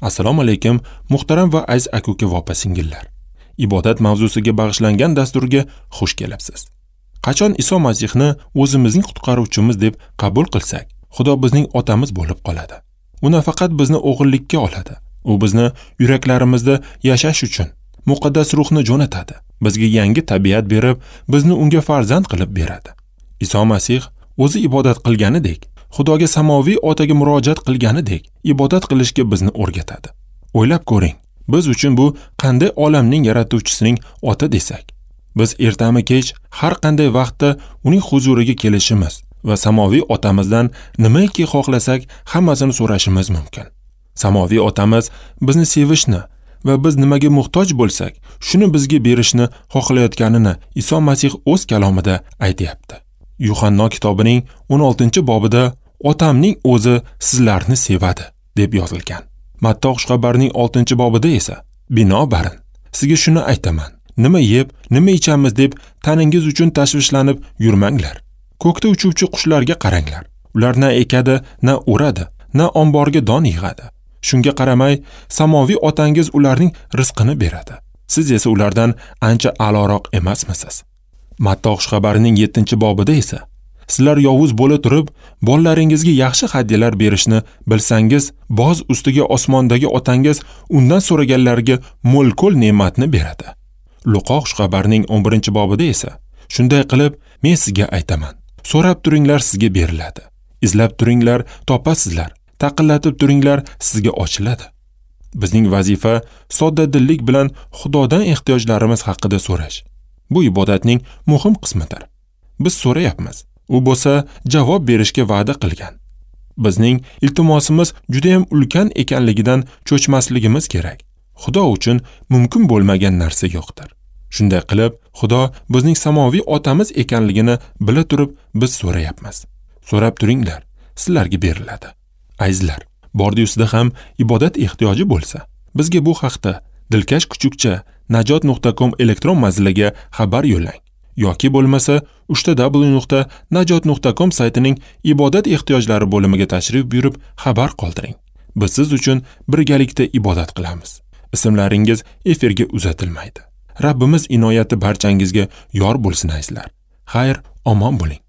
Assalomu alaykum, muhtaram va aziz aka-uka va opa-singillar. Ibodat mavzusiga bag'ishlangan dasturga xush kelibsiz. Qachon Iso Masihni o'zimizning qutqaruvchimiz deb qabul qilsak, Xudo bizning otamiz bo'lib qoladi. U nafaqat bizni o'g'illikka oladi, u bizni yuraklarimizda yashash uchun muqaddas ruhni jo'natadi. Bizga yangi tabiat berib, bizni unga farzand qilib beradi. Iso Masih o'zi ibodat qilganidek, Xudoga samoviy otaga murojaat qilganidek ibodat qilishga bizni o'rgatadi. O'ylab ko'ring, biz uchun bu qanday olamning yaratuvchisining ota desak, biz ertami kech har qanday vaqtda uning huzuriga kelishimiz va samoviy otamizdan nimaiki xohlasak hammasini so'rashimiz mumkin. Samoviy otamiz bizni sevishni va biz nimaga muhtoj bo'lsak, shuni bizga berishni xohlayotganini Iso Masih o'z kalomida aytayapti. Yuhanno kitobining 16-bobida Otamning o'zi sizlarni sevadi deb yozilgan. Matto xushxabarining 6-bobida esa binobarin sizga shuni aytaman: nima yeb, nima ichamiz deb taningiz uchun tashvishlanib yurmanglar. Ko'kda uchuvchi qushlarga qaranglar. Ular na ekadi, na o'radi, na omborga don yig'adi. Shunga qaramay, samoviy otangiz ularning rizqini beradi. Siz esa ulardan ancha a'loroq emasmisiz? Matto xushxabarining 7-bobida esa sizlar yovuz bo'la turib, bolalaringizga yaxshi hadyalar berishni bilsangiz, boz ustiga osmondagi otangiz undan so'raganlarga mo'l-ko'l ne'matni beradi. Luqo xushxabarining 11-bobida esa shunday qilib, men sizga aytaman: so'rab turinglar, sizga beriladi. Izlab turinglar, topasizlar. Taqillatib turinglar, sizga ochiladi. Bizning vazifa soddadillik bilan Xudodan ehtiyojlarimiz haqida so'rash. Bu ibodatning muhim qismidir. Biz so'rayapmiz, u bo'lsa javob berishga va'da qilgan. Bizning iltimosimiz juda ham ulkan ekanligidan cho'chmasligimiz kerak. Xudo uchun mumkin bo'lmagan narsa yo'qdir. Shunday qilib, Xudo bizning samoviy otamiz ekanligini bila turib biz so'rayapmiz. So'rab turinglar, sizlarga beriladi. Azizlar, bordi-yusida ham ibodat ehtiyoji bo'lsa, bizga bu haqda dilkash kuchukcha najot.com elektron manziliga xabar yo'llang yoki bo'lmasa www.najot.com saytining ibodat ehtiyojlari bo'limiga tashrif buyurib xabar qoldiring. Biz siz uchun birgalikda ibodat qilamiz. Ismlaringiz efirga uzatilmaydi. Rabbimiz inoyati barchangizga yor bo'lsin azizlar. Xayr, omon bo'ling.